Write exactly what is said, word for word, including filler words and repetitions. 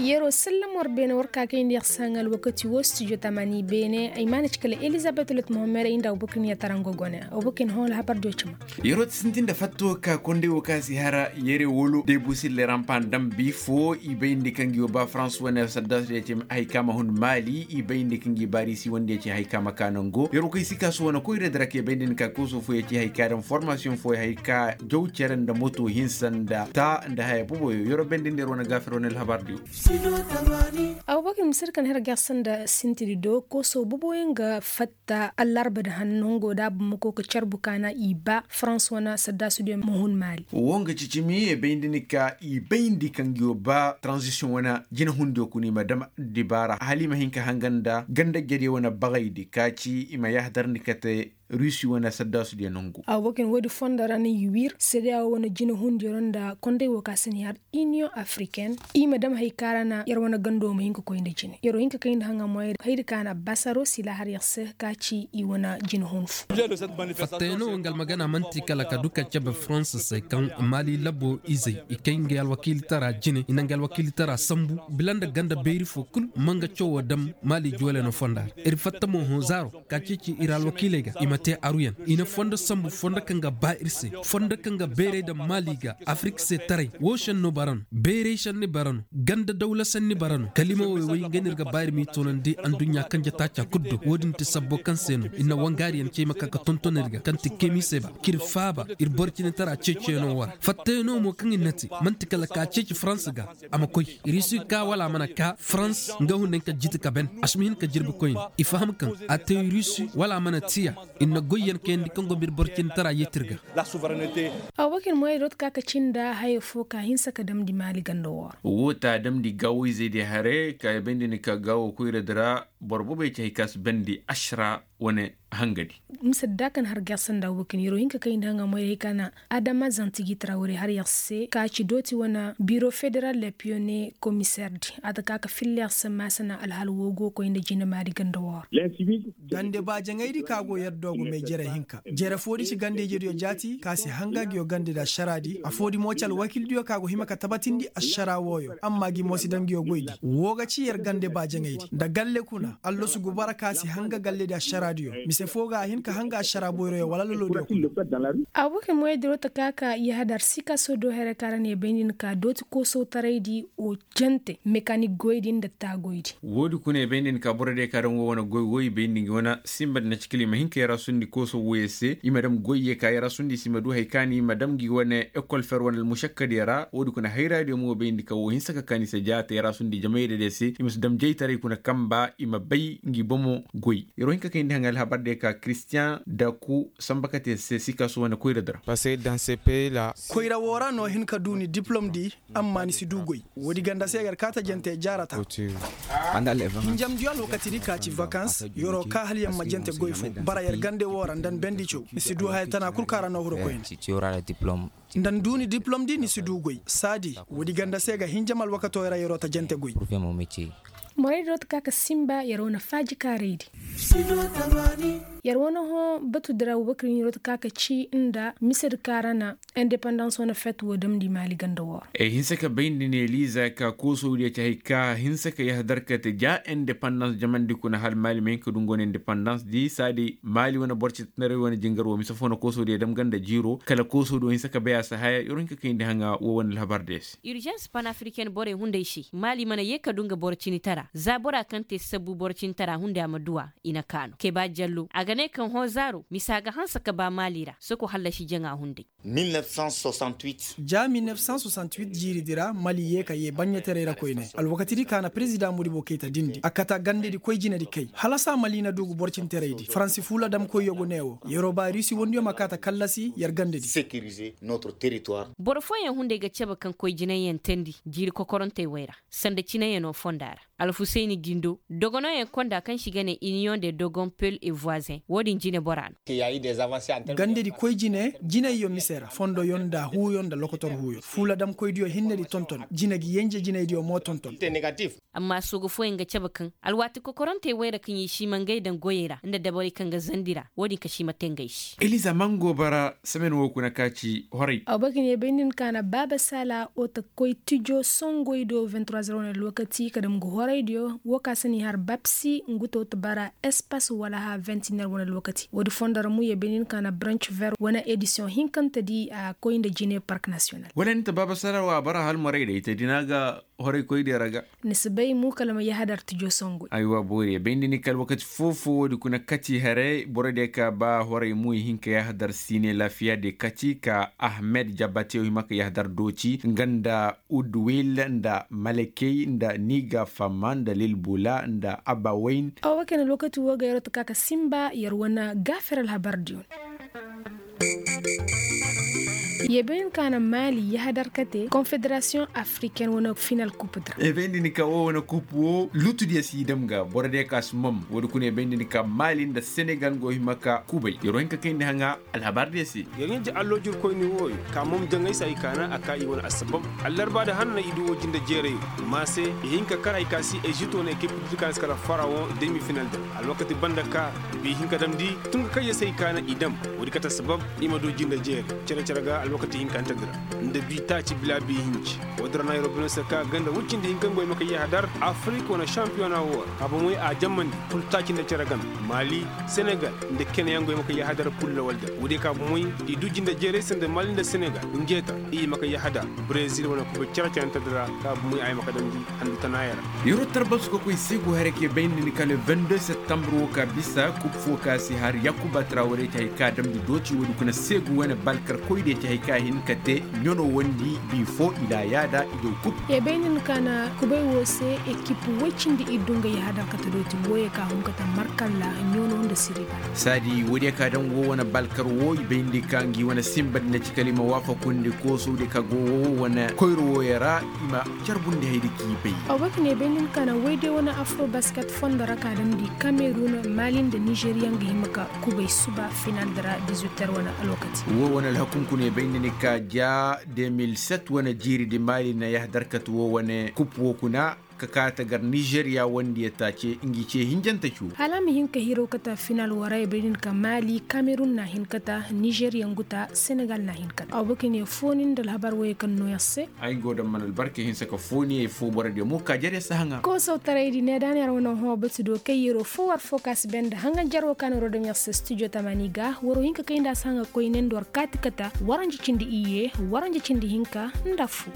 Yeroo sallamo war beene war ka kayndi yer se haŋ alwakati woo studio tamani beene ay maana ci kala elizabet lot mohammed ay nda abubakar ni yer tarango gone abubakar ni hõ alhabar diyo cima. Yeroo ti sintin nda fatto ka konday woo ka si hara yere wolo debu sille rampan dambi foo i bayndi kaŋ gi woo ba farans wane saddasu diyo cima hay ka ma hun maali i bayndi kaŋ gi baarisi wande ci hay ka ma ka nango yeroo kay si ka su wane koyra dira kay bayndi ni ka kooso foo ya ci hay ka daŋ formasiyoŋ foo ya hay ka jaw cere nda moto hinsa nda ta nda haya boboyo yeroo bayndi nda yeroo na gaafir wane alhabar diyo. Abubakar misir kaŋ hira ga yer sanda sintiri do kooso boboyaŋ ga fatta allarba da hannu nongo da bumako ka carbu kaana i ba farans wane saddasu diyo ma hun maali. Wo nga cicimi e bayndi ni ka i bayndi kaŋ gi woo ba taranzisiyoŋ wane jina hundiyo kuna i ma dam dibaara hala i ma hin ka hanga nda ganda jadiyo wane bagaydi ka ci i ma yahadar ni kate rusi wane saddaasu diya nongu. Awo bakin woodi fondo ra na i wiir sedeya wo wane jina hundiyo ra nda konday wo ka si ni har iniyoŋ afriken i ma dam hay ka ra na yer wane gando ma hin ka koy nda jine yer wo hin ka kay nda haŋa moyey haydi ka na basaro sila har yer se ka ci i wane jina hun fu. Fattayano wo nga almagana man'ti kala ka du ka cabe faransa se kaŋ maali labo izey i kay ngey alwakiilitara jine i na ngey alwakiilitara sambu bila nda ganda beeri fo kul ma nga cawo dam maali joole no fonda ra ir fatta mo hõ zaaro ka ceeci ir alwakiiley ga i ma te aruyan i na fondo sambu fondo kaŋ ga ba ir se fondo kaŋ ga beerey daŋ maali ga afirik se taray wo senno bara no beerey senni bara no ganda dawla senni bara no kalima woy woy nga no ir ga ba ir m'i toonandi anduɲɲa kanje taaca kul do wo-din ti sabbo kaŋ se no ir na wangaariyaŋ cey ma ka ga tonton ir ga kaŋ ti kemiise ba k'ir faaba ir boro cinetara ceeciyaŋo wara fattayaŋo mo kaŋ ir na te man'ti kala ka ceeci faransa ga a ma koy rusi ka wala a mana ka farans nga hunday ka jiti ka ben a si ma hin ka jirbi koyne i faham kaŋ a te rusi wala a mana tiya ir na goyyaŋ kayandi kaŋ go ma ir boro cindi tara yeeti ir ga. Abubakar moyey dooti ka ka cinda haya fo ka hinsa ka damndi maali ganda woo ra. Woo ta damndi gaawo-izey diya haray ka bayndi ni ka gaawo koyra di ra boro boobo ya ci hay ka si bandi ašara wane hangadi. Mise da ka na har gersa nda abubakar yeroo hin ka kayndi haŋa moyey hay ka na adama zantigi trawre har yer se ka ci dooti wane biro federal le piyone komiser di a ta ka ka filla yer se maasana alhal woo go koy nda jine maali ganda woo ra. Gande baajaŋaydi ka go yer doogo may jere hinka jere foodi ci gande-ijediyo jaati ka si hanga nguyo gandedi ašaraadi afoodi mo ci alwakiildiyo ka go hima ka tabatindi ašara wooyo amma gi mo si daŋ nguyo goydi woo ga ci yer gande baajaŋaydi nda galle kuna allasu gubara ka si hanga galledi ašaraadiyo mise foo ga a hin ka hanga ašara boyroyo wala lolodiyo kuna. Abubakar moyey diro ta ka ka yahadar sikaso do here ka ra ne bayndi ni ka dooti koosotaraydi o jante mekanik goydi nda taa goydi. Woodi kuna i bay nda ni ka boro diya ka daŋ wo wane goy wo i bay nda ngi wane sinba nda na ci kala i ma hin ka yarasundi kooso woyey se i ma daŋ goyey ka yarasundi i se i ma du hari ka no i ma daŋ ngi wane ekol fer wane almušakkadiyo ra woodi kuna hayraadiyo mo i bay nda ka wo hinsa ka kaan i se jaata yarasundi jamayda diyo se i ma si daŋ jaytaray kuna kanba i ma bay ngi bomo goy. Yer wo hin ka kayndi haŋa alhabar diyo ka kiristiyaŋ daku sanba kate se sikasu wane koyra di ra. Koyra woo ra no hin ka du ni diplom di amma ni si du goy. Woodi ganda se yer kaata jante jaarata. Hinjamdiyo alwakatidi ka ci vakans yer'o kaa hala yer ma jante goy fo bara yer gande woo ra nda ni bendi caw ni si du haya tana kul kaŋ ra no huru koyne. Nda ni du ni diplomdi ni si du goy saadi woodi ganda se ga hinjam alwakatoo ra yer'o ta jante goy. Moraydi rooti ka ka sinba yer wane faaji kaaraydi. Yer wane hõ batudi ra abubakar ɲiroti ka ka ci nda misedi ka ra na indepandans wane fet woo damndi maali ganda woo ra. Ay hinsa ka bayndi ne liiza ka koosowdiyo ci hari ka hinsa ka yahadar ka te ja indepandans jamandi kuna hala maali ma hin ka du nga wane indepandans di saadi maali wane boro cintinarey wane jingar woo mise foo na koosowdiyo dam ganda jiiro kala koosowdiyo hinsa ka bay a si haya yer wo hin ka kayndi haŋa woo wane alhabar diyo se. Urjans panafriken borey hunday se maali mana yee ka du nga boro cinitara za bora kaŋ te sabbu boro cinitara hunday a ma du a. I na kaanu keba jallo a ga ne kaŋ hõ zaaro misa ga hanse ka ba maali ra soko hallasi jaŋa hunday. Ja mil nef san soixante-huit jiiridi ra mali yee ka yee baɲɲataray ra koyne alwakatidi ka na perezidaŋ modibo kayta dindi a kata gandedi koy jinedi kay hala saa mali na du ga boro cinteraydi faransi fuula damkoyyo go ne wo yeroo ba rusi wandiyo ma kaa ta kallasi yer gandedi. Boro fooyaŋ hunday ga cabe kaŋ koy jinayyaŋ teendi jiiri kokorantey wey ra sanda cinayyaŋo fonda ra. Alfusayni jindo dogonooyaŋ konda kaŋ se i ga ne iniyoŋ de dogon pel et voisin. Wo-din jine bora no. Gandedi koy jine jinayyo mise ra fondoyo nda huuyo nda lokotor huuyo fuuladamkoydiyo hinne di tonton jine gi yenje jinaydiyo mo tonton. Amma soogu fooyaŋ ga cabe kaŋ alwaati kokorantey wayra kaŋ i si ma ngey daŋ goyey ra nda dabarey kaŋ ga zandi ra wo-din ka si ma te ngey se. Eliza mango bara semen wo kuna ka ci horay. Aw bay ka ne bay nda ni ka na baaba saala oto koy tijo songoy do vingt trois heures wane lokaci ka dam ga horaydiyo wo ka se ni har bapsi ngu to ta bara espas wala ha vingt une heures wane lokaci wo- di fondo ra mu ye bay nda ni ka na branch vert wane edisiyoŋ hinkante di a koy nda jine park nasiyonal. Wala ni ta baaba saala wo a bara hal maray day ta dina ga horay koy day ra ga. Ni si bay mu kala ma yahadar tijo songu. Aywa boori bay nda ni kala wakati foo-foo wo- di kuna kati haray boro day ka ba horay mu i hin ka yahadar siine laafiya day kati ka ahmed jabate wo hima ka yahadar dooci nga nda udwil nda malakey nda niga fama nda lilbula nda abawayn. Awa kayna lokaci wo ga yar wo ta ka ka simba yar wane gaafir alhabar diyo. Ye bay ni ka na maali yahadar kate konfederasiyoŋ afriken wane final kup dira. Ye bay nda ni ka wo wane kup wo lutudiyo si i dam ga boro diyo ka si mom wo- di kuna ye bay nda ni ka maali nda senegal go hima ka kubay yar wo hin ka kayndi haŋa. Alhabar diyo se. Yar ɲaŋ ja alloojirkoyni wooyo ka mom jaŋay se ay kaana a ka i wane assabab. Allarba da hanna i du wo jinde jeeray. Ma se i hin ka kar hay ka si ezipt wane ekip diri ka na si kala farawoŋ demi final da alwakati banda ka bi hin ka damndi. Tun ga kayya se ay kaana i dam wo- di kate assabab i ma du jinde jeeray. Cere-cere ga alwakati hinkante dira nda bi taaci bila bi hinci. Wo- din ra na ay robino se ka ganda wuccindi hinka nga wo ay ma ka yahadar afirik wane sampiyona wo ra ka bomoy a jammandi kul taaci nda cere game. Maali senegal nda kene yaŋ go ay ma ka yahadar kul lawal da wo- di ka bomoy i du jinde jeeray se nda maali nda senegal nge ta i ma ka yahadar brezil wane kubay cere-cerente dira ka bomoy ay ma ka damndi handu tanaaya ra. Yaro tarbasu ka koy seegu haray ka bay nda ni ka le vingt deux septembre wo ka bisa kub foo ka si har yakuba traware ti hay ka damndi dooci wo- di kuna seegu wane balkarkoy diyo ti hay ka hin ka te ɲano wandi bi foo i laayaada i daw kub. Ye bay nda ni ka na kubay wo se ekip woy cindi i du nga yahadar kate dooti wooyo ka hun kate markalla ɲano nda siriba. Saadi wo- diyo ka daŋ wo wane balkar wo i bay nda ka ngi wane simba di na ci kala i ma waafakundi kooso diyo ka go wo wane koyra wooyo ra i ma carbundi haydi k'i bay. Aw bay ka ne bay nda ni ka na woy day wane afro basket fondo ra ka damndi kamerun maali nda nizeriya nga hima ka kubay suba final di ra dix huit heures wane alwakati. Wo wane alhakunkuna ye bay nda ni ka ja deux mille sept wane jiiri di maali na yahadar kate wo wane kup wo kuna ka kaate gar nizeriya wandiyo taace ngi ce hinjante cu. Hala a ma hin ka hiraw kate final woo ra ye bay nda ni ka maali kamerun na hin kate nizeriya ngu ta senegal na hin kate aw bay ka ne foonin nda alhabar wooyo kaŋ nooyaŋ se. Ay go daŋ mana albarka hinsa ka fooni ay foo borodiyo mo ka jare si haŋa. Koosawtaray di ne da na yar wane hõ batu do kay yero fo war fo ka si bay nda haŋa jaro ka na rodom yar se studio tamani ga waro hinka kay nda a si haŋa koyne nda war kaati kata waranja cindi iyye waranja cindi hinka nda fu.